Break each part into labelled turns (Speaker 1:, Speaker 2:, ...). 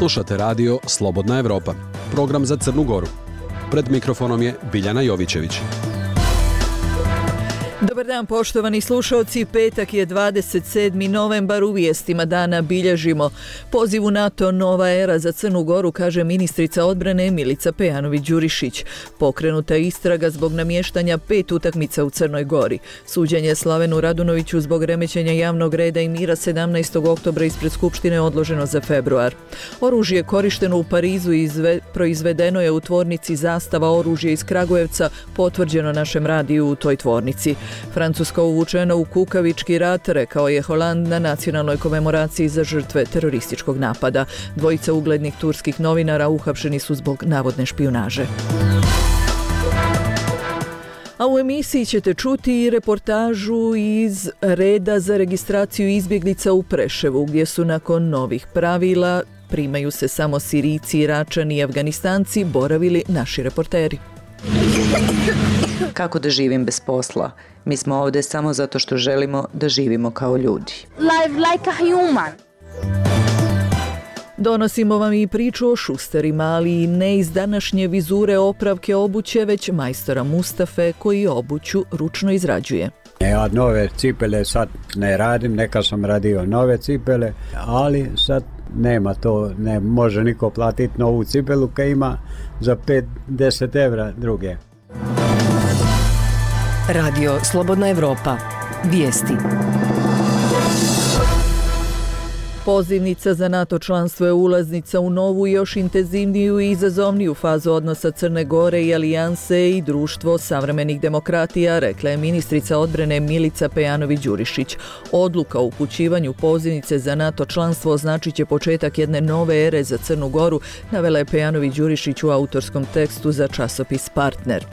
Speaker 1: Slušate radio Slobodna Evropa, program za Crnu Goru. Pred mikrofonom je Biljana Jovićević.
Speaker 2: Dobar dan poštovani slušalci, petak je 27. novembar, u vijestima dana bilježimo poziv u NATO nova era za Crnu Goru, kaže ministrica odbrane Milica Pejanović-Đurišić. Pokrenuta je istraga zbog namještanja 5 utakmica u Crnoj Gori. Suđenje Slavenu Radunoviću zbog remećenja javnog reda i mira 17. oktobra ispred Skupštine odloženo za februar. Oružje korišteno u Parizu proizvedeno je u tvornici Zastava oružje iz Kragujevca, potvrđeno našem radiju u toj tvornici. Francuska uvučena u kukavički rat, rekao je Holand na nacionalnoj komemoraciji za žrtve terorističkog napada. Dvojica uglednih turskih novinara uhapšeni su zbog navodne špijunaže. A u emisiji ćete čuti i reportažu iz reda za registraciju izbjeglica u Preševu, gdje su nakon novih pravila primaju se samo Sirijci, Iračani i Afganistanci, boravili naši reporteri.
Speaker 3: Kako da živim bez posla? Mi smo ovdje samo zato što želimo da živimo kao ljudi.
Speaker 4: Live like a human.
Speaker 2: Donosimo vam i priču o šusterima, ali i ne iz današnje vizure opravke obuće, već majstora Mustafe koji obuću ručno izrađuje.
Speaker 5: Ja nove cipele sad ne radim, neka sam radio nove cipele, ali sad nema to, ne može niko platiti novu cipelu koja ima za 5-10 evra druge.
Speaker 6: Radio Slobodna Evropa. Vijesti.
Speaker 2: Pozivnica za NATO članstvo je ulaznica u novu, još intenzivniju i izazovniju fazu odnosa Crne Gore i Alijanse i Društvo savremenih demokratija, rekla je ministrica odbrane Milica Pejanović-Đurišić. Odluka o upućivanju pozivnice za NATO članstvo označit će početak jedne nove ere za Crnu Goru, navela je Pejanović-Đurišić u autorskom tekstu za časopis Partner.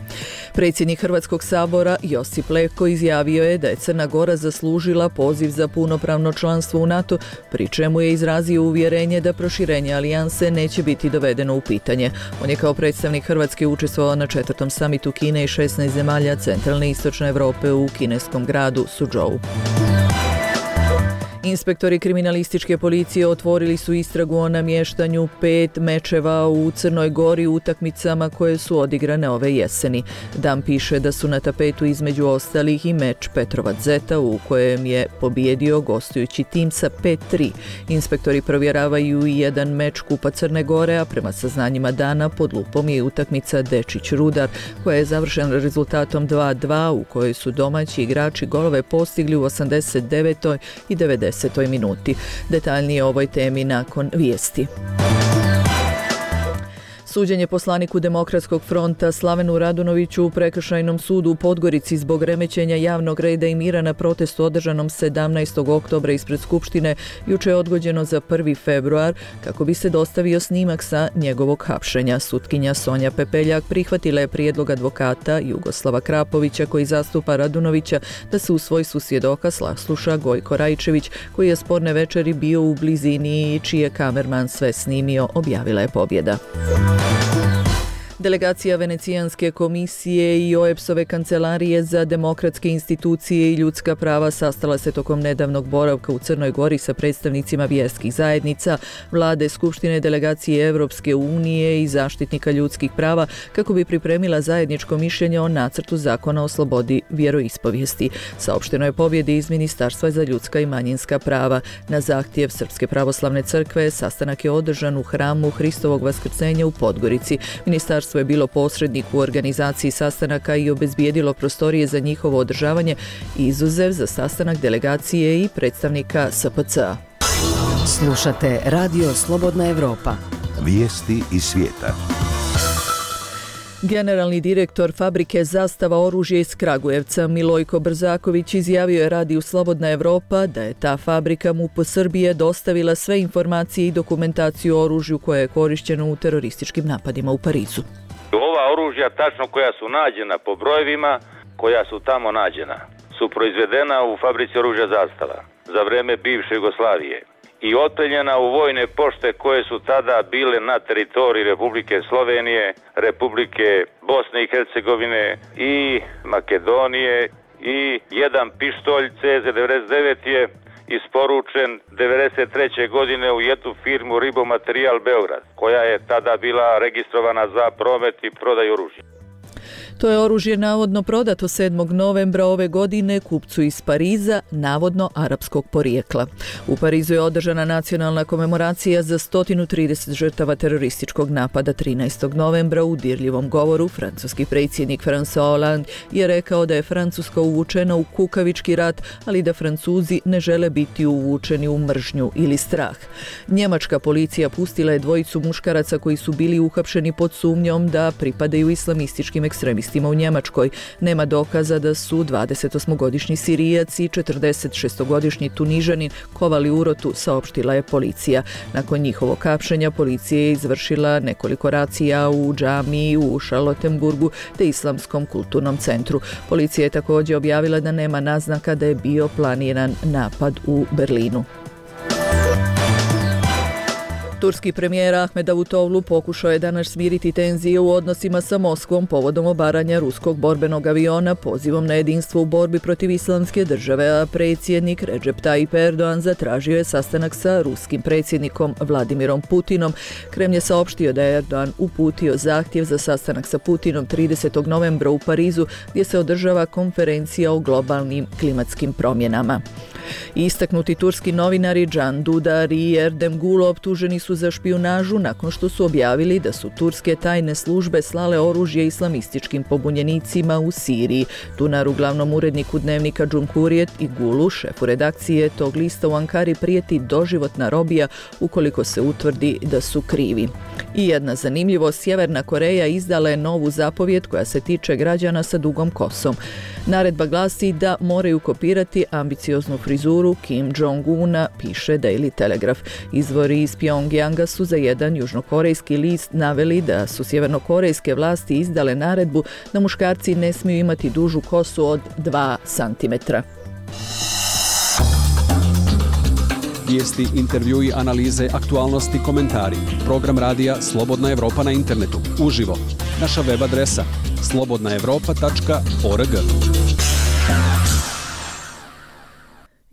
Speaker 2: Predsjednik Hrvatskog sabora Josip Leko izjavio je da je Crna Gora zaslužila poziv za punopravno članstvo u NATO, pri čemu je izrazio uvjerenje da proširenje alijanse neće biti dovedeno u pitanje. On je kao predstavnik Hrvatske učestvovao na 4. samitu Kine i 16 zemalja centralne i istočne Europe u kineskom gradu Suzhou. Inspektori kriminalističke policije otvorili su istragu o namještanju 5 mečeva u Crnoj Gori u utakmicama koje su odigrane ove jeseni. Dan piše da su na tapetu između ostalih i meč Petrovac Zeta u kojem je pobijedio gostujući tim sa 5-3. Inspektori provjeravaju i jedan meč Kupa Crne Gore, a prema saznanjima dana pod lupom je utakmica Dečić-Rudar koja je završena rezultatom 2-2 u kojoj su domaći igrači golove postigli u 89. i 90. minuti. Detaljnije o ovoj temi nakon vijesti. Suđenje poslaniku Demokratskog fronta Slavenu Radunoviću u Prekršajnom sudu u Podgorici zbog remećenja javnog reda i mira na protestu održanom 17. oktobra ispred Skupštine juče je odgođeno za 1. februar kako bi se dostavio snimak sa njegovog hapšenja. Sutkinja Sonja Pepeljak prihvatila je prijedlog advokata Jugoslava Krapovića koji zastupa Radunovića da se u svojstvu svjedoka sasluša Gojko Rajčević koji je sporne večeri bio u blizini i čiji je kamerman sve snimio, objavila je Pobjeda. Delegacija Venecijanske komisije i OEBS-ove kancelarije za demokratske institucije i ljudska prava sastala se tokom nedavnog boravka u Crnoj Gori sa predstavnicima vjerskih zajednica, vlade, skupštine, delegacije Evropske unije i zaštitnika ljudskih prava kako bi pripremila zajedničko mišljenje o nacrtu zakona o slobodi vjeroispovijesti. Saopšteno je Pobjedi iz Ministarstva za ljudska i manjinska prava. Na zahtjev Srpske pravoslavne crkve sastanak je održan u hramu Hristovog vaskrsenja u Podgorici. Ministarstvo je bilo posrednik u organizaciji sastanaka i obezbijedilo prostorije za njihovo održavanje, izuzev za sastanak delegacije i predstavnika SPC-a.
Speaker 6: Slušate Radio Slobodna Evropa.
Speaker 7: Vijesti iz svijeta.
Speaker 2: Generalni direktor fabrike Zastava oružje iz Kragujevca Milojko Brzaković izjavio je radiju Slobodna Evropa da je ta fabrika MUP Srbije dostavila sve informacije i dokumentaciju o oružju koje je korišćeno u terorističkim napadima u Parizu.
Speaker 8: Ova oružja, tačno koja su nađena po brojevima, koja su tamo nađena, su proizvedena u fabrici oružja Zastava za vreme bivše Jugoslavije i otpeljena u vojne pošte koje su tada bile na teritoriji Republike Slovenije, Republike Bosne i Hercegovine i Makedonije i jedan pištolj CZ-99 je isporučen 1993. godine u jednu firmu Ribomaterijal Beograd, koja je tada bila registrovana za promet i prodaju oružja.
Speaker 2: To je oružje navodno prodato 7. novembra ove godine kupcu iz Pariza, navodno arapskog porijekla. U Parizu je održana nacionalna komemoracija za 130 žrtava terorističkog napada 13. novembra. U dirljivom govoru francuski predsjednik François Hollande je rekao da je Francuska uvučena u kukavički rat, ali da Francuzi ne žele biti uvučeni u mržnju ili strah. Njemačka policija pustila je dvojicu muškaraca koji su bili uhapšeni pod sumnjom da pripadaju islamističkim ekstremistima u Njemačkoj. Nema dokaza da su 28-godišnji Sirijac i 46-godišnji Tunižanin kovali urotu, saopštila je policija. Nakon njihovog hapšenja policija je izvršila nekoliko racija u džamiji u Charlottenburgu te Islamskom kulturnom centru. Policija je također objavila da nema naznaka da je bio planiran napad u Berlinu. Turski premijer Ahmed Davutoğlu pokušao je danas smiriti tenzije u odnosima sa Moskvom povodom obaranja ruskog borbenog aviona pozivom na jedinstvo u borbi protiv islamske države, a predsjednik Recep Tayyip Erdoğan zatražio je sastanak sa ruskim predsjednikom Vladimirom Putinom. Kremlj je saopštio da je Erdoğan uputio zahtjev za sastanak sa Putinom 30. novembra u Parizu, gdje se održava konferencija o globalnim klimatskim promjenama. Istaknuti turski novinari Can Dudar i Erdem Gulo optuženi su za špijunažu nakon što su objavili da su turske tajne službe slale oružje islamističkim pobunjenicima u Siriji. Dunaru, glavnom uredniku dnevnika Cumhuriyet, i Gulu, šefu redakcije tog lista u Ankari, prijeti doživotna robija ukoliko se utvrdi da su krivi. I jedna zanimljivost, Sjeverna Koreja izdala je novu zapovjed koja se tiče građana sa dugom kosom. Naredba glasi da moraju kopirati ambicioznu frizuru Kim Jong-una, piše Daily Telegraph. Izvori iz Pyongyanga su za jedan južnokorejski list naveli da su sjevernokorejske vlasti izdale naredbu da muškarci ne smiju imati dužu kosu od 2 cm.
Speaker 1: Vijesti, intervjui, analize, aktualnosti, komentari. Program radija Slobodna Evropa na internetu. Uživo. Naša web adresa slobodnaevropa.org.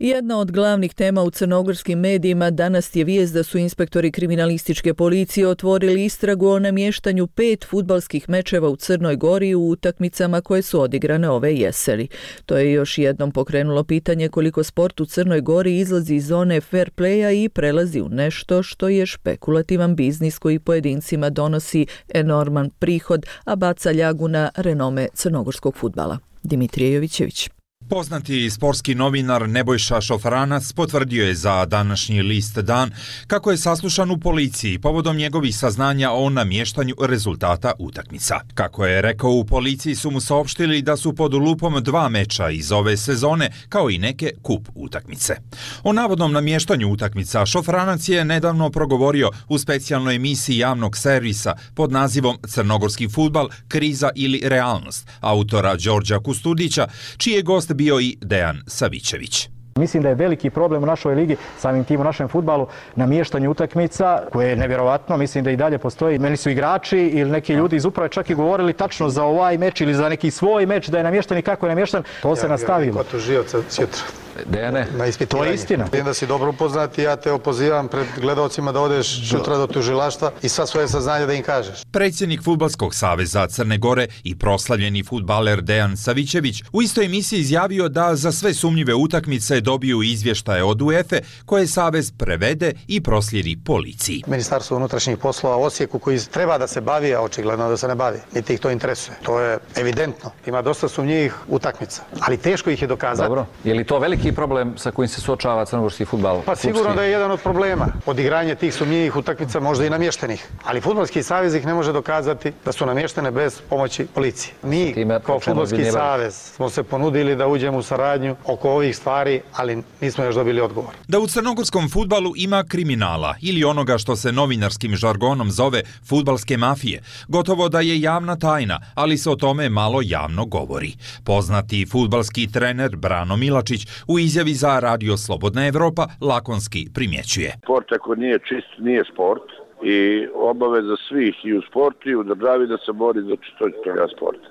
Speaker 2: Jedna od glavnih tema u crnogorskim medijima danas je vijest da su inspektori kriminalističke policije otvorili istragu o namještanju 5 fudbalskih mečeva u Crnoj Gori u utakmicama koje su odigrane ove jeseni. To je još jednom pokrenulo pitanje koliko sport u Crnoj Gori izlazi iz zone fair playa i prelazi u nešto što je špekulativan biznis koji pojedincima donosi enorman prihod, a baca ljagu na renome crnogorskog fudbala. Dimitrije Jovićević.
Speaker 9: Poznati sportski novinar Nebojša Šofranac potvrdio je za današnji list Dan kako je saslušan u policiji povodom njegovih saznanja o namještanju rezultata utakmica. Kako je rekao, u policiji su mu saopštili da su pod lupom 2 meča iz ove sezone, kao i neke kup utakmice. O navodnom namještanju utakmica Šofranac je nedavno progovorio u specijalnoj emisiji javnog servisa pod nazivom Crnogorski fudbal, kriza ili realnost, autora Đorđa Kustudića, čiji je gost bio i Dejan Savićević.
Speaker 10: Mislim da je veliki problem u našoj ligi, samim tim u našem fudbalu, namještanje utakmica, koje je nevjerovatno, mislim da i dalje postoji. Meni su igrači ili neki ljudi iz uprave čak i govorili tačno za ovaj meč ili za neki svoj meč da je namješten i kako je namješten. To se nastavilo.
Speaker 11: Ko to živca sutra?
Speaker 10: Dejane, to je istina.
Speaker 11: Vidim da si dobro upoznat i ja te opozivam pred gledalcima da odeš sutra do tužilaštva i sva svoje saznanje da im kažeš.
Speaker 9: Predsjednik Fudbalskog saveza Crne Gore i proslavljeni fudbaler Dejan Savićević u istoj emisiji izjavio da za sve sumnjive utakmice dobiju izvještaje od UEFA koje savez prevede i proslijedi policiji.
Speaker 11: Ministarstvo unutrašnjih poslova u Osijeku koji treba da se bavi, a očigledno da se ne bavi, niti ih to interesuje. To je evidentno. Ima dosta sumnjivih utakmica, ali teško ih je dokazati.
Speaker 12: Dobro, je li to veliki problem sa kojim se suočava crnogorski fudbal?
Speaker 11: Pa sigurno da je jedan od problema. Odigranje tih sumnjivih utakmica, možda i namještenih. Ali fudbalski savez ih ne može dokazati da su namještene bez pomoći policije. Mi kao fudbalski savez smo se ponudili da uđemo u saradnju oko ovih stvari, ali nismo još dobili odgovor.
Speaker 9: Da u crnogorskom fudbalu ima kriminala ili onoga što se novinarskim žargonom zove fudbalske mafije, gotovo da je javna tajna, ali se o tome malo javno govori. Poznati fudbalski trener Brano Milačić u izjavi za Radio Slobodna Evropa lakonski primjećuje.
Speaker 13: Sport ako nije čist, nije sport i obaveza svih i u sportu i u državi da se bori za čistoću toga sporta.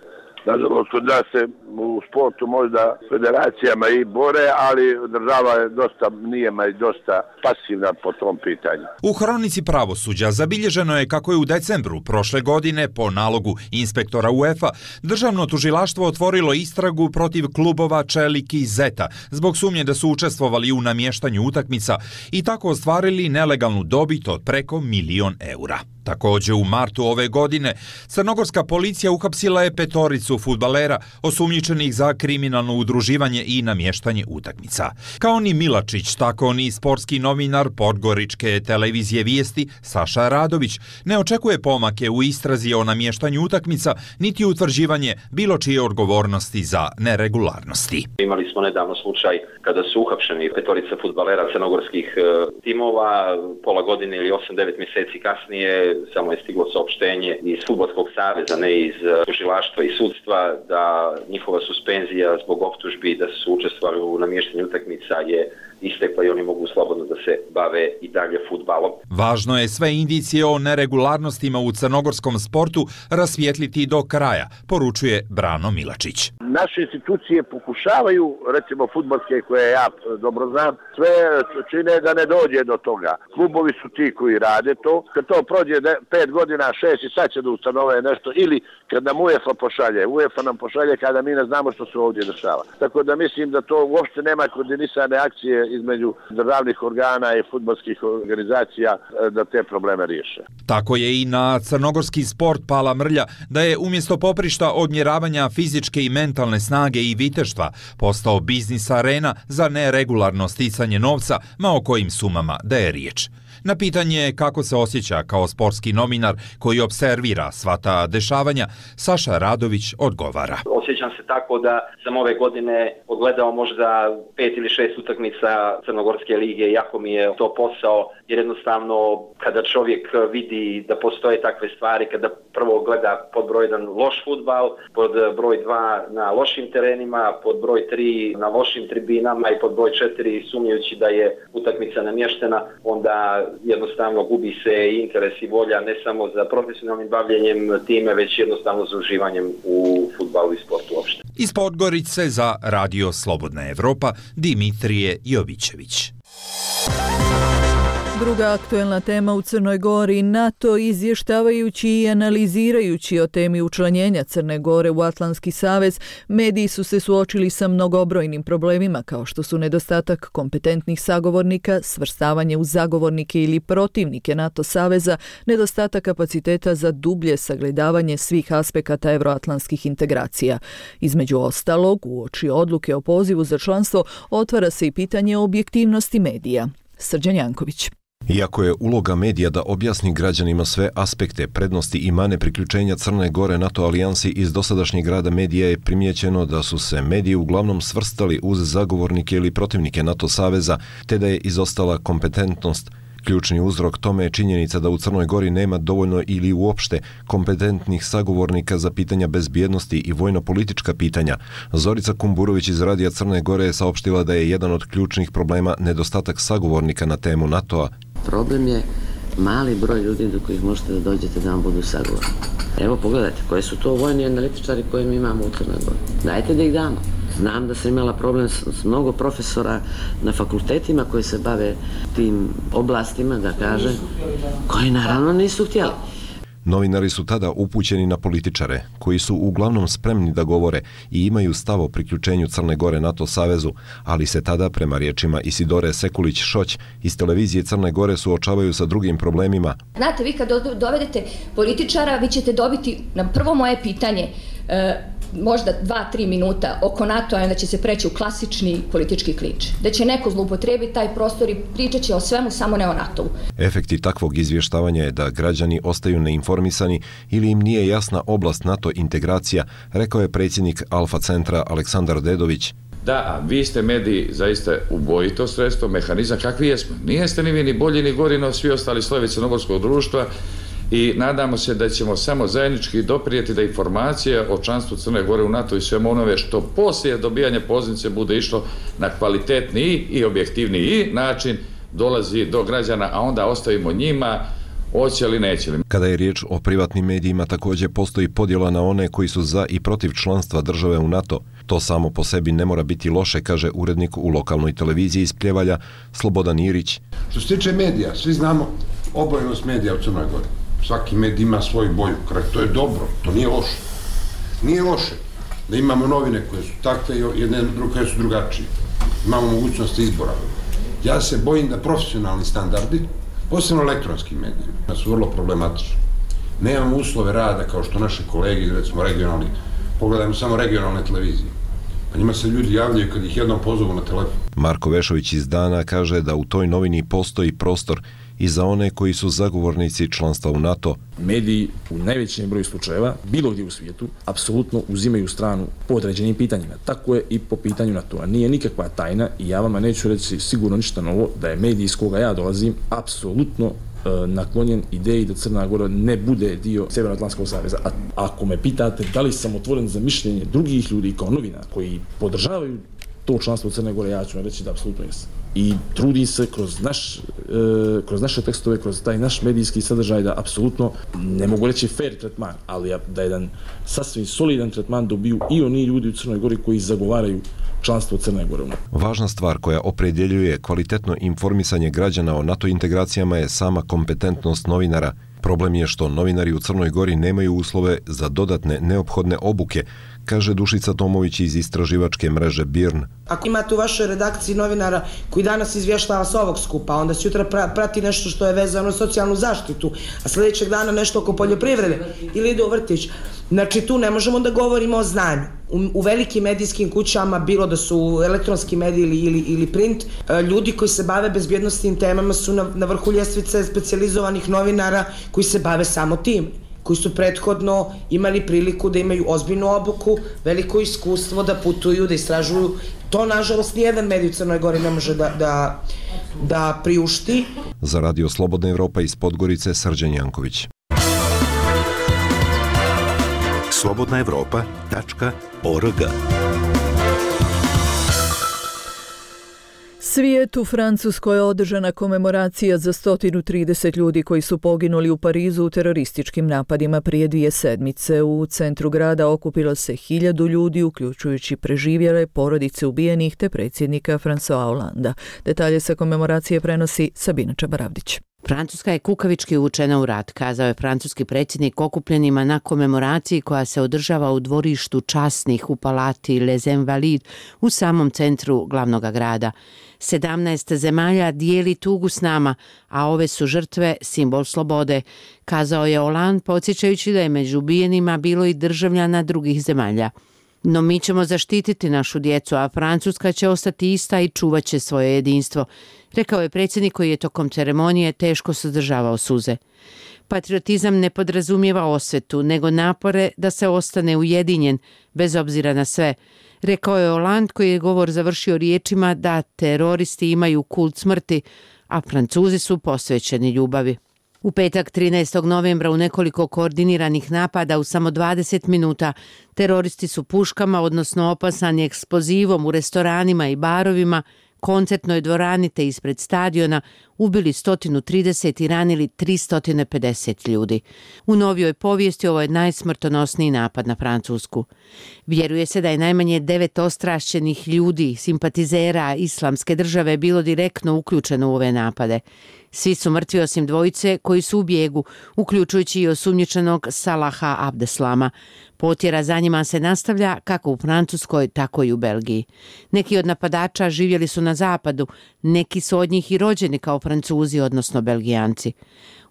Speaker 13: Nažalost, kod nas se u sportu možda federacijama i bore, ali država je dosta pasivna po tom pitanju.
Speaker 9: U hronici pravosuđa zabilježeno je kako je u decembru prošle godine po nalogu inspektora UEFA državno tužilaštvo otvorilo istragu protiv klubova Čelik i Zeta zbog sumnje da su učestvovali u namještanju utakmica i tako ostvarili nelegalnu dobit od preko 1.000.000 eura. Također u martu ove godine crnogorska policija uhapsila je 5 fudbalera osumnjičenih za kriminalno udruživanje i namještanje utakmica. Kao ni Milačić, tako ni sportski novinar podgoričke televizije Vijesti Saša Radović ne očekuje pomake u istrazi o namještanju utakmica niti utvrđivanje bilo čije odgovornosti za neregularnosti.
Speaker 14: Imali smo nedavno slučaj kada su uhapšeni 5 fudbalera crnogorskih timova, pola godine ili 8-9 mjeseci kasnije samo je stiglo saopštenje iz Fudbalskog saveza, ne iz tužilaštva i sudstva, da njihova suspenzija zbog optužbi da su učestvovali u namještanju utakmica je istekla i oni mogu slobodno da se bave i dalje fudbalom.
Speaker 9: Važno je sve indicije o neregularnostima u crnogorskom sportu rasvijetliti do kraja, poručuje Brano Milačić.
Speaker 13: Naše institucije pokušavaju, recimo fudbalske koje ja dobro znam, sve čine da ne dođe do toga. Klubovi su ti koji rade to. Kad to prođe 5 godina, 6 i sad će da ustanove nešto ili kad nam UEFA pošalje. UEFA nam pošalje kada mi ne znamo što se ovdje dešava. Tako da mislim da to uopšte nema koordinisane akcije između državnih organa i fudbalskih organizacija da te probleme riješe.
Speaker 9: Tako je i na crnogorski sport pala mrlja da je umjesto poprišta odmjeravanja fizičke i mentalne snage i viteštva postao biznis arena za neregularno sticanje novca, ma o kojim sumama da je riječ. Na pitanje kako se osjeća kao sportski novinar koji observira sva ta dešavanja, Saša Radović odgovara.
Speaker 14: Osjećam se tako da sam ove godine odgledao možda 5 ili 6 utakmica Crnogorske lige, jako mi je to posao, jer jednostavno kada čovjek vidi da postoje takve stvari, kada prvo gleda pod broj 1 loš fudbal, pod broj 2 na lošim terenima, pod broj 3 na lošim tribinama i pod broj 4 sumnjajući da je utakmica namještena, onda jednostavno gubi se interes i volja ne samo za profesionalnim bavljenjem time, već jednostavno za uživanjem u fudbalu i sportu uopšte.
Speaker 9: Iz Podgorice za Radio Slobodna Evropa, Dimitrije Jovićević.
Speaker 2: Druga aktuelna tema u Crnoj Gori, NATO izvještavajući i analizirajući o temi učlanjenja Crne Gore u Atlantski savez, mediji su se suočili sa mnogobrojnim problemima kao što su nedostatak kompetentnih sagovornika, svrstavanje u zagovornike ili protivnike NATO saveza, nedostatak kapaciteta za dublje sagledavanje svih aspekata euroatlantskih integracija. Između ostalog, uoči odluke o pozivu za članstvo, otvara se i pitanje objektivnosti medija. Srđan Janković.
Speaker 15: Iako je uloga medija da objasni građanima sve aspekte, prednosti i mane priključenja Crne Gore NATO alijansi, iz dosadašnjeg rada medija je primijećeno da su se mediji uglavnom svrstali uz zagovornike ili protivnike NATO saveza, te da je izostala kompetentnost. Ključni uzrok tome je činjenica da u Crnoj Gori nema dovoljno ili uopšte kompetentnih sagovornika za pitanja bezbjednosti i vojno-politička pitanja. Zorica Kumburović iz Radija Crne Gore je saopštila da je jedan od ključnih problema nedostatak sagovornika na temu NATO-a.
Speaker 16: Problem je mali broj ljudi do kojih možete da dođete da vam budu sagovorni. Evo pogledajte, koje su to vojni analitičari koje mi imamo u Crnoj Gori. Dajte da ih damo. Znam da sam imala problem s mnogo profesora na fakultetima koji se bave tim oblastima, da kažem, koji naravno nisu htjeli.
Speaker 15: Novinari su tada upućeni na političare, koji su uglavnom spremni da govore i imaju stav o priključenju Crne Gore NATO savezu, ali se tada, prema riječima Isidore Sekulić-Šoć iz televizije Crne Gore, suočavaju sa drugim problemima.
Speaker 17: Znate, vi kad dovedete političara, vi ćete dobiti na prvo moje pitanje možda 2-3 minuta oko NATO-a, onda će se preći u klasični politički klinč. Da će neko zloupotrijebiti taj prostor i pričat će o svemu, samo ne o NATO-u.
Speaker 15: Efekti takvog izvještavanja je da građani ostaju neinformisani ili im nije jasna oblast NATO integracija, rekao je predsjednik Alfa centra Aleksandar Dedović.
Speaker 18: Da, vi ste mediji zaista ubojito sredstvo, mehanizam, kakvi jesmo. Nijeste ni vi ni bolji ni gori no svi ostali slojevi crnogorskog društva, i nadamo se da ćemo samo zajednički doprijeti da informacije o članstvu Crne Gore u NATO i svemu onome što poslije dobijanja pozivnice bude išlo na kvalitetniji i objektivniji način dolazi do građana, a onda ostavimo njima hoće li, neće li.
Speaker 15: Kada je riječ o privatnim medijima, također postoji podjela na one koji su za i protiv članstva države u NATO. To samo po sebi ne mora biti loše, kaže urednik u lokalnoj televiziji iz Pljevalja Slobodan Irić.
Speaker 19: Što se tiče medija, svi znamo obojenost medija u Crnoj Gori. Svaki medij ima svoju boju. To je dobro, to nije loše. Nije loše da imamo novine koje su takve i jedne koje su drugačije. Imamo mogućnost izbora. Ja se bojim da profesionalni standardi, posebno elektronskim medijima, su vrlo problematični. Nemamo uslove rada kao što naši kolegi, recimo regionalni, pogledajmo samo regionalne televizije. Pa njima se ljudi javljaju kad ih jednom pozovu na telefon.
Speaker 15: Marko Vešović iz Dana kaže da u toj novini postoji prostor i za one koji su zagovornici članstva u NATO.
Speaker 20: Mediji u najvećem broju slučajeva, bilo gdje u svijetu, apsolutno uzimaju stranu po određenim pitanjima. Tako je i po pitanju NATO-a. Nije nikakva tajna i ja vama neću reći sigurno ništa novo da je medij iz koga ja dolazim apsolutno naklonjen ideji da Crna Gora ne bude dio Sjevernoatlantskog saveza. A ako me pitate da li sam otvoren za mišljenje drugih ljudi kao novinar koji podržavaju to članstvo u Crne Gore, ja ću reći da apsolutno jesam. I trudi se kroz naše tekstove, kroz taj naš medijski sadržaj da apsolutno, ne mogu reći fair tretman, ali da jedan sasvim solidan tretman dobiju i oni ljudi u Crnoj Gori koji zagovaraju članstvo Crne Gore.
Speaker 15: Važna stvar koja opredjeljuje kvalitetno informisanje građana o NATO integracijama je sama kompetentnost novinara. Problem je što novinari u Crnoj Gori nemaju uslove za dodatne neophodne obuke, kaže Dušica Tomović iz istraživačke mreže BIRN.
Speaker 21: Ako imate u vašoj redakciji novinara koji danas izvještava s ovog skupa, onda sutra prati nešto što je vezano za socijalnu zaštitu, a sljedećeg dana nešto oko poljoprivrede ili ide u vrtić. Znači tu ne možemo da govorimo o znanju. U velikim medijskim kućama, bilo da su elektronski mediji ili print, ljudi koji se bave bezbjednostnim temama su na vrhu ljestvice specijalizovanih novinara koji se bave samo tim, koji su prethodno imali priliku da imaju ozbiljnu obuku, veliko iskustvo da putuju, da istražuju. To, nažalost, nijedan medij u Crnoj Gori ne može da priušti.
Speaker 15: Za Radio Slobodna Evropa iz Podgorice, Srđan Janković.
Speaker 7: slobodnaevropa.org.
Speaker 2: Svijet u Francuskoj je održana komemoracija za 130 ljudi koji su poginuli u Parizu u terorističkim napadima prije 2 sedmice. U centru grada okupilo se 1000 ljudi, uključujući preživjele, porodice ubijenih te predsjednika François Hollanda. Detalje sa komemoracije prenosi Sabina Čabaravdić.
Speaker 22: Francuska je kukavički uvučena u rat, kazao je francuski predsjednik okupljenima na komemoraciji koja se održava u dvorištu časnih u palati Les Invalides u samom centru glavnog grada. 17 zemalja dijeli tugu s nama, a ove su žrtve simbol slobode, kazao je Hollande, podsjećajući da je među ubijenima bilo i državljana drugih zemalja. No mi ćemo zaštititi našu djecu, a Francuska će ostati ista i čuvat će svoje jedinstvo, rekao je predsjednik koji je tokom ceremonije teško suzdržavao suze. Patriotizam ne podrazumijeva osvetu, nego napore da se ostane ujedinjen, bez obzira na sve, rekao je Hollande koji je govor završio riječima da teroristi imaju kult smrti, a Francuzi su posvećeni ljubavi. U petak 13. novembra u nekoliko koordiniranih napada u samo 20 minuta teroristi su puškama, odnosno opasani eksplozivom u restoranima i barovima, koncertnoj dvorani te ispred stadiona ubili 130 i ranili 350 ljudi. U novijoj povijesti ovo je najsmrtonosniji napad na Francusku. Vjeruje se da je najmanje 9 ostrašćenih ljudi, simpatizera Islamske države, bilo direktno uključeno u ove napade. Svi su mrtvi osim dvojice koji su u bijegu, uključujući i osumnjičenog Salaha Abdeslama. Potjera za njima se nastavlja kako u Francuskoj, tako i u Belgiji. Neki od napadača živjeli su na zapadu, neki su od njih i rođeni kao Francuzi, odnosno Belgijanci.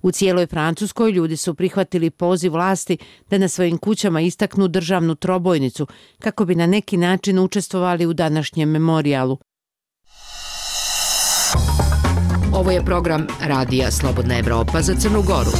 Speaker 22: U cijeloj Francuskoj ljudi su prihvatili poziv vlasti da na svojim kućama istaknu državnu trobojnicu kako bi na neki način učestvovali u današnjem memorijalu.
Speaker 6: Ovo je program Radija Slobodna Evropa za Crnu Goru.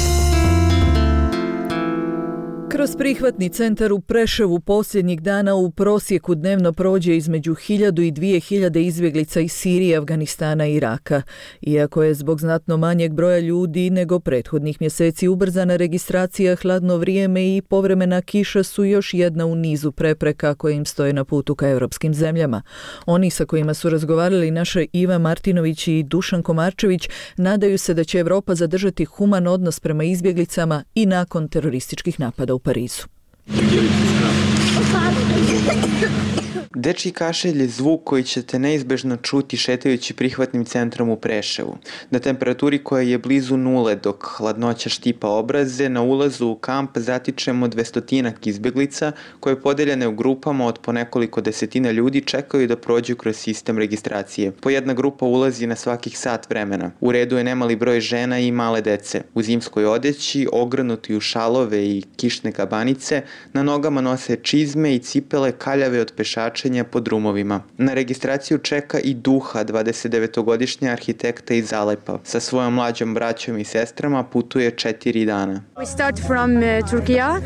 Speaker 2: Kroz prihvatni centar u Preševu posljednjih dana u prosjeku dnevno prođe između 1000 i 2000 izbjeglica iz Sirije, Afganistana i Iraka. Iako je zbog znatno manjeg broja ljudi nego prethodnih mjeseci ubrzana registracija, hladno vrijeme i povremena kiša su još jedna u nizu prepreka koje im stoje na putu ka europskim zemljama. Oni sa kojima su razgovarali naša Iva Martinović i Dušan Komarčević nadaju se da će Europa zadržati human odnos prema izbjeglicama i nakon terorističkih napada u Parizu.
Speaker 3: Dečji kašelj je zvuk koji ćete neizbežno čuti šetajući prihvatnim centrom u Preševu. Na temperaturi koja je blizu nule dok hladnoća štipa obraze, na ulazu u kamp zatičemo 200 izbjeglica koje podeljene u grupama od po nekoliko desetina ljudi čekaju da prođu kroz sistem registracije. Po jedna grupa ulazi na svakih sat vremena. U redu je nemali broj žena i male dece. U zimskoj odeći, ogrnuti u šalove i kišne kabanice, na nogama nose čizme i cipele kaljave od pešačenja po drumovima. Na registraciju čeka i Duha, 29-godišnja arhitekta iz Alepa. Sa svojom mlađom braćom i sestrama putuje 4 dana.
Speaker 4: We start from Turkey,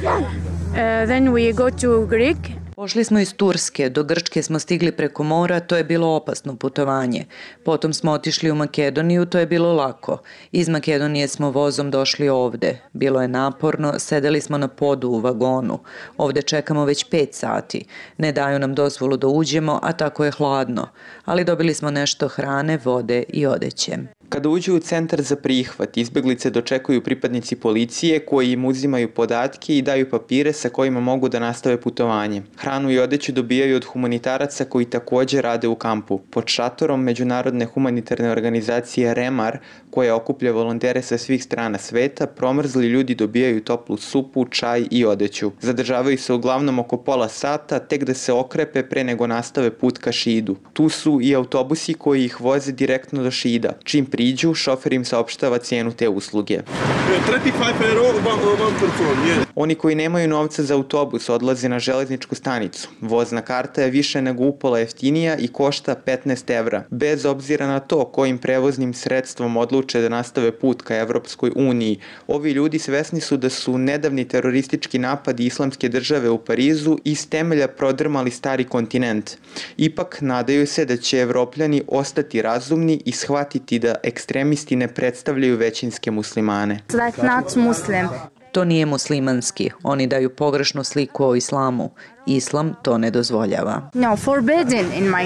Speaker 4: then we go to Greek.
Speaker 23: Pošli smo iz Turske, do Grčke smo stigli preko mora, to je bilo opasno putovanje. Potom smo otišli u Makedoniju, to je bilo lako. Iz Makedonije smo vozom došli ovde. Bilo je naporno, sedeli smo na podu u vagonu. Ovde čekamo već 5 sati. Ne daju nam dozvolu da uđemo, a tako je hladno. Ali dobili smo nešto hrane, vode i odeće.
Speaker 3: Kada uđu u centar za prihvat, izbjeglice dočekuju pripadnici policije koji im uzimaju podatke i daju papire sa kojima mogu da nastave putovanje. Hranu i odeću dobijaju od humanitaraca koji također rade u kampu. Pod šatorom međunarodne humanitarne organizacije REMAR, koja okuplja volontere sa svih strana sveta, promrzli ljudi dobijaju toplu supu, čaj i odeću. Zadržavaju se uglavnom oko pola sata, tek da se okrepe pre nego nastave put ka Šidu. Tu su i autobusi koji ih voze direktno do Šida. Čim priđu, šofer im saopštava cijenu te usluge.
Speaker 24: 35 euro, one person.
Speaker 3: Oni koji nemaju novca za autobus odlaze na železničku stanicu. Vozna karta je više nego upola jeftinija i košta 15 evra. Bez obzira na to kojim prevoznim sredstvom odluče da nastave put ka Evropskoj uniji, ovi ljudi svesni su da su nedavni teroristički napadi Islamske države u Parizu iz temelja prodrmali stari kontinent. Ipak nadaju se da će Evropljani ostati razumni i shvatiti da ekstremisti ne predstavljaju većinske muslimane.
Speaker 23: That's not Muslim. To nije muslimanski. Oni daju pogrešnu sliku o islamu. Islam to ne dozvoljava.
Speaker 4: No, forbidden in my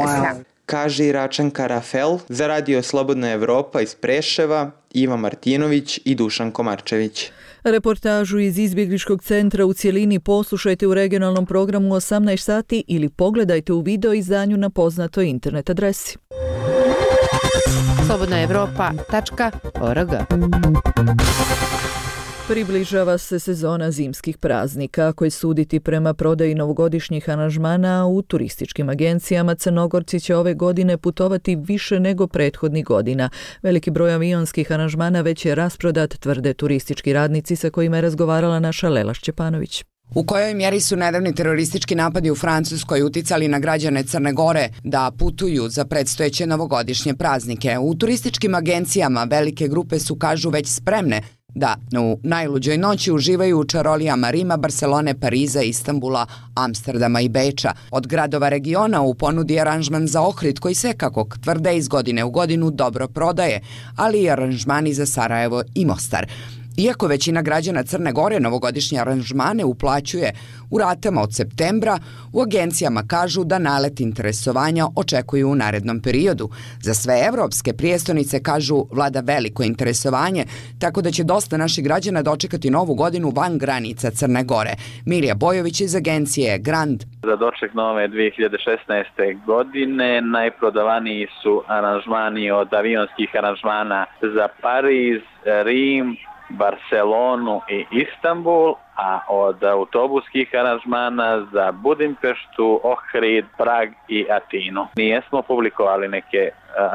Speaker 4: Islam.
Speaker 3: Kaže Iračanka Rafel za Radio Slobodna Evropa iz Preševa, Iva Martinović i Dušan Komarčević.
Speaker 2: Reportažu iz izbjegličkog centra u cjelini poslušajte u regionalnom programu 18 sati ili pogledajte u video izdanju na poznatoj internet adresi.
Speaker 22: slobodnaevropa.org.
Speaker 2: Približava se sezona zimskih praznika. Ako je suditi prema prodaji novogodišnjih aranžmana u turističkim agencijama, Crnogorci će ove godine putovati više nego prethodnih godina. Veliki broj avionskih aranžmana već je rasprodat, tvrde turistički radnici sa kojima je razgovarala naša Lela Šćepanović.
Speaker 25: U kojoj mjeri su nedavni teroristički napadi u Francuskoj uticali na građane Crne Gore da putuju za predstojeće novogodišnje praznike? U turističkim agencijama velike grupe su, kažu, već spremne da u najluđoj noći uživaju u čarolijama Rima, Barcelone, Pariza, Istanbula, Amsterdama i Beča. Od gradova regiona u ponudi je aranžman za Ohrid koji se, kako tvrde, iz godine u godinu dobro prodaje, ali i aranžmani za Sarajevo i Mostar. Iako većina građana Crne Gore novogodišnje aranžmane uplaćuje u ratama od septembra, u agencijama kažu da nalet interesovanja očekuju u narednom periodu. Za sve evropske prijestolnice, kažu, vlada veliko interesovanje, tako da će dosta naših građana dočekati novu godinu van granica Crne Gore. Milija Bojović iz agencije Grand.
Speaker 26: Za doček nove 2016. godine najprodavaniji su aranžmani od avionskih aranžmana za Pariz, Rim, Barcelonu i Istanbul, a od autobuskih aranžmana za Budimpeštu, Ohrid, Prag i Atinu. Nijesmo publikovali neke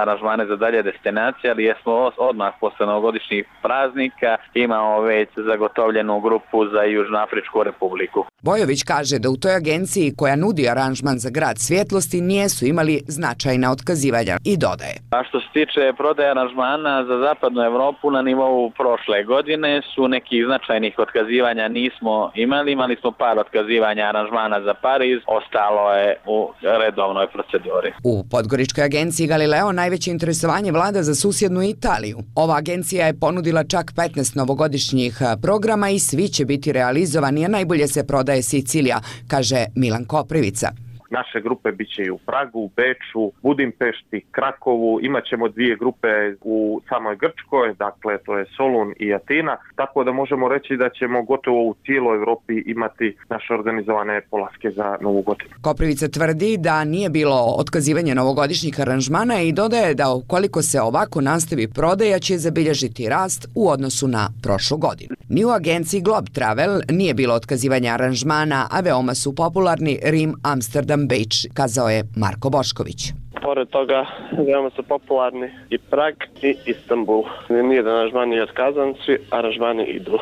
Speaker 26: aranžmane za dalje destinacije, ali jesmo odmah posle novogodišnjih praznika imamo već zagotovljenu grupu za Južnoafričku republiku.
Speaker 25: Bojović kaže da u toj agenciji koja nudi aranžman za grad svjetlosti nijesu imali značajna otkazivanja i dodaje.
Speaker 26: A što se tiče prodaje aranžmana za zapadnu Evropu na nivou prošle godine su nekih značajnih otkazivanja nismo imali smo par otkazivanja aranžmana za Pariz, ostalo je u redovnoj proceduri.
Speaker 25: U Podgoričkoj agenciji Galileo najveće interesovanje vlada za susjednu Italiju. Ova agencija je ponudila čak 15 novogodišnjih programa i svi će biti realizovani, a najbolje se prodaje Sicilija, kaže Milan Koprivica.
Speaker 1: Naše grupe bit će i u Pragu, u Beču, Budimpešti, Krakovu, imat ćemo 2 grupe u samoj Grčkoj, dakle to je Solun i Atina, tako da možemo reći da ćemo gotovo u cijeloj Evropi imati naše organizovane polaske za Novu godinu.
Speaker 25: Koprivica tvrdi da nije bilo otkazivanja novogodišnjih aranžmana i dodaje da ukoliko se ovako nastavi prodaja će zabilježiti rast u odnosu na prošlu godinu. Ni u agenciji Globe Travel nije bilo otkazivanja aranžmana, a veoma su popularni Rim, Amsterdam, Beč, kazao je Marko Bošković.
Speaker 5: Pored toga, veoma su popularni i Prag i Istanbul. Nijedan aranžman nije otkazan, svi aranžmani idu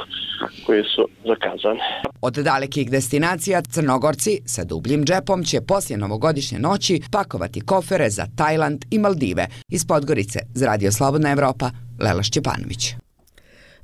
Speaker 5: koji su zakazani.
Speaker 25: Od dalekih destinacija Crnogorci sa dubljim džepom će poslije novogodišnje noći pakovati kofere za Tajland i Maldive. Iz Podgorice za Radio Slobodna Evropa, Lela Šćepanović.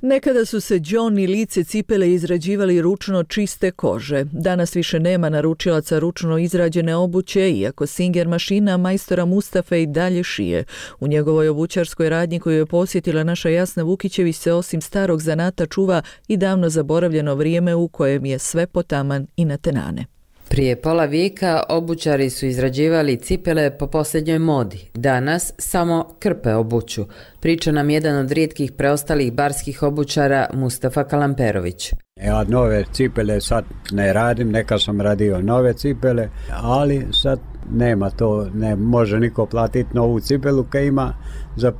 Speaker 2: Nekada su se đon i lice cipele izrađivali ručno čiste kože. Danas više nema naručilaca ručno izrađene obuće, iako Singer mašina majstora Mustafe i dalje šije. U njegovoj obućarskoj radnji koju je posjetila naša Jasna Vukićević se osim starog zanata čuva i davno zaboravljeno vrijeme u kojem je sve potaman i natenane.
Speaker 8: Prije pola vijeka obućari su izrađivali cipele po posljednjoj modi. Danas samo krpe obuću. Priča nam jedan od rijetkih preostalih barskih obućara Mustafa Kalamperović.
Speaker 10: Ja nove cipele sad ne radim, neka sam radio nove cipele, ali sad nema to, ne može niko platiti novu cipelu kad ima za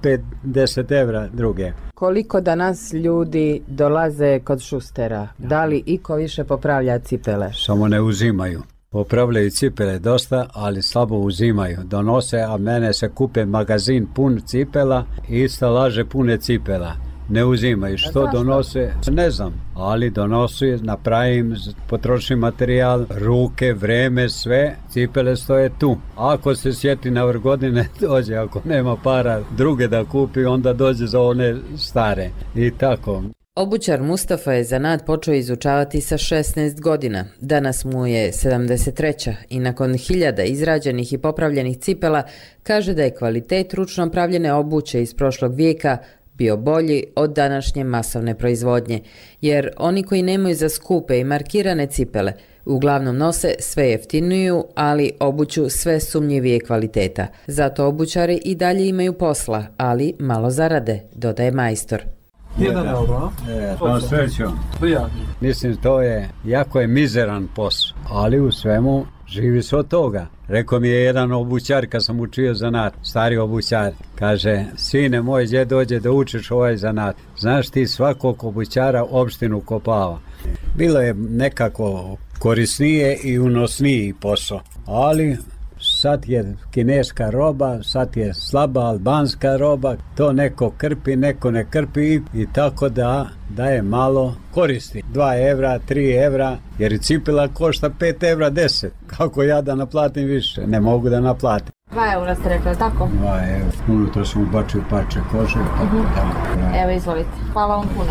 Speaker 10: 5-10 evra druge.
Speaker 22: Koliko danas ljudi dolaze kod šustera? Da li iko više popravlja cipele?
Speaker 10: Samo ne uzimaju. Popravljaju cipele dosta, ali slabo uzimaju. Donose, a mene se kupe magazin pun cipela i stalaže pune cipela. Ne uzimaju. Što donose? Ne znam, ali donosi, napravim, potrošim materijal, ruke, vreme, sve, cipele stoje tu. Ako se sjeti na vrh godine, dođe, ako nema para druge da kupi, onda dođe za one stare. I tako.
Speaker 8: Obućar Mustafa je zanat počeo izučavati sa 16 godina. Danas mu je 73. i nakon 1000 izrađenih i popravljenih cipela kaže da je kvalitet ručno pravljene obuće iz prošlog vijeka bio bolji od današnje masovne proizvodnje, jer oni koji nemaju za skupe i markirane cipele uglavnom nose sve jeftiniju, ali obuću sve sumnjivije kvaliteta. Zato obućari i dalje imaju posla, ali malo zarade, dodaje majstor.
Speaker 10: To srećom. Mislim, to je jako mizeran posao, ali u svemu živi se od toga. Rekao mi je jedan obućar kad sam učio zanat, stari obućar, kaže, sine moj, gdje dođe da učiš ovaj zanat? Znaš ti svakog obućara opštinu kopava. Bilo je nekako korisnije i unosniji posao, ali sad je kineska roba, sad je slaba albanska roba, to neko krpi, neko ne krpi i tako da je malo koristi. 2 evra, 3 evra, jer cipela košta 5 evra 10. Kako ja da naplatim više? Ne mogu da naplatim.
Speaker 22: 2 eura ste rekli, tako?
Speaker 10: 2 evra. Unutra sam ubačio parče kože. Tako.
Speaker 22: Evo, izvolite. Hvala vam puno.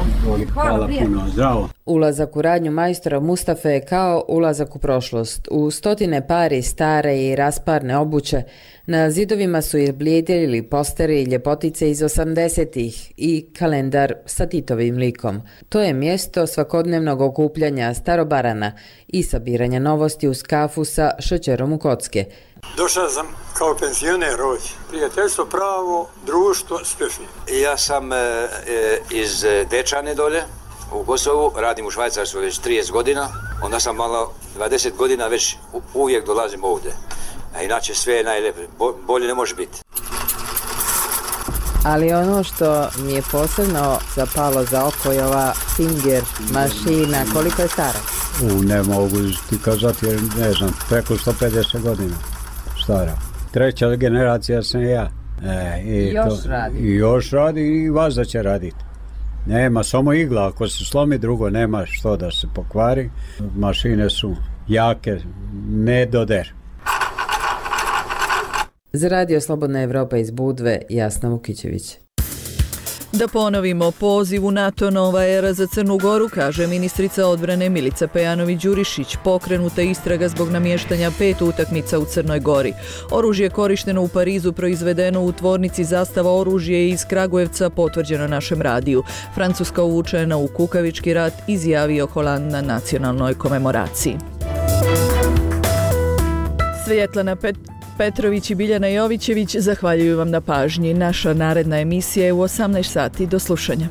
Speaker 10: Hvala puno. Zdravo.
Speaker 8: Ulazak u radnju majstora Mustafe je kao ulazak u prošlost. U stotine pari stare i rasparne obuće na zidovima su izblijedili posteri i ljepotice iz 80-ih i kalendar sa Titovim likom. To je mjesto svakodnevnog okupljanja starobarana i sabiranja novosti uz kafu sa šećerom u kocke.
Speaker 11: Došao sam kao penzioner ovdje. Prijateljstvo, pravo, društvo, spešni.
Speaker 12: Ja sam iz Dečane dolje, u Kosovu, radim u Švajcarstvu već 30 godina. Onda sam malo 20 godina već uvijek dolazim ovdje. A inače sve je najlepše, bolje ne može biti.
Speaker 22: Ali ono što mi je posebno zapalo za oko je ova Singer mašina. Koliko je stara?
Speaker 10: Ne mogu ti kazati jer ne znam, preko 150 godina stara. 3. generacija sam ja.
Speaker 25: I
Speaker 10: još radi i vazda će raditi. Nema, samo igla, ako se slomi drugo, nema što da se pokvari. Mašine su jake, ne doder.
Speaker 8: Za Radio Slobodna Evropa iz Budve, Jasna Vukićević.
Speaker 2: Da ponovimo, poziv u NATO nova era za Crnu Goru, kaže ministrica odbrane Milica Pejanović-Đurišić. Pokrenuta istraga zbog namještanja 5 utakmica u Crnoj Gori. Oružje korišteno u Parizu proizvedeno u tvornici Zastava oružje iz Kragujevca, potvrđeno našem radiju. Francuska uvučena u kukavički rat, izjavio Holand na nacionalnoj komemoraciji. Svjetlana Petrović i Biljana Jovićević zahvaljuju vam na pažnji. Naša naredna emisija je u 18 sati. Do slušanja.